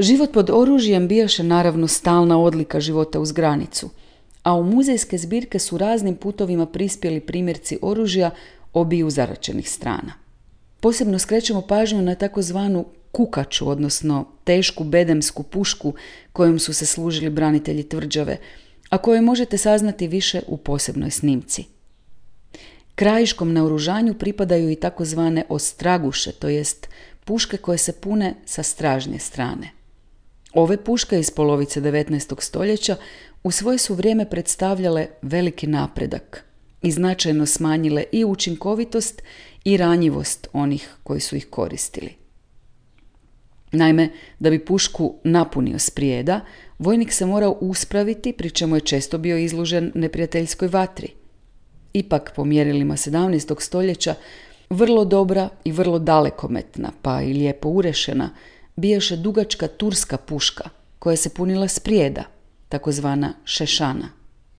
Život pod oružjem bijaše naravno stalna odlika života uz granicu, a u muzejske zbirke su raznim putovima prispjeli primjerci oružja obiju zaraćenih strana. Posebno skrećemo pažnju na takozvanu kukaču, odnosno tešku bedemsku pušku kojom su se služili branitelji tvrđave, a koje možete saznati više u posebnoj snimci. Krajiškom naoružanju pripadaju i takozvane ostraguše, to jest puške koje se pune sa stražnje strane. Ove puške iz polovice 19. stoljeća u svoje su vrijeme predstavljale veliki napredak i značajno smanjile i učinkovitost i ranjivost onih koji su ih koristili. Naime, da bi pušku napunio s prijeda, vojnik se morao uspraviti, pri čemu je često bio izložen neprijateljskoj vatri. Ipak, po mjerilima 17. stoljeća, vrlo dobra i vrlo dalekometna, pa i lijepo urešena, bijaše dugačka turska puška, koja se punila s prijeda, takozvana šešana.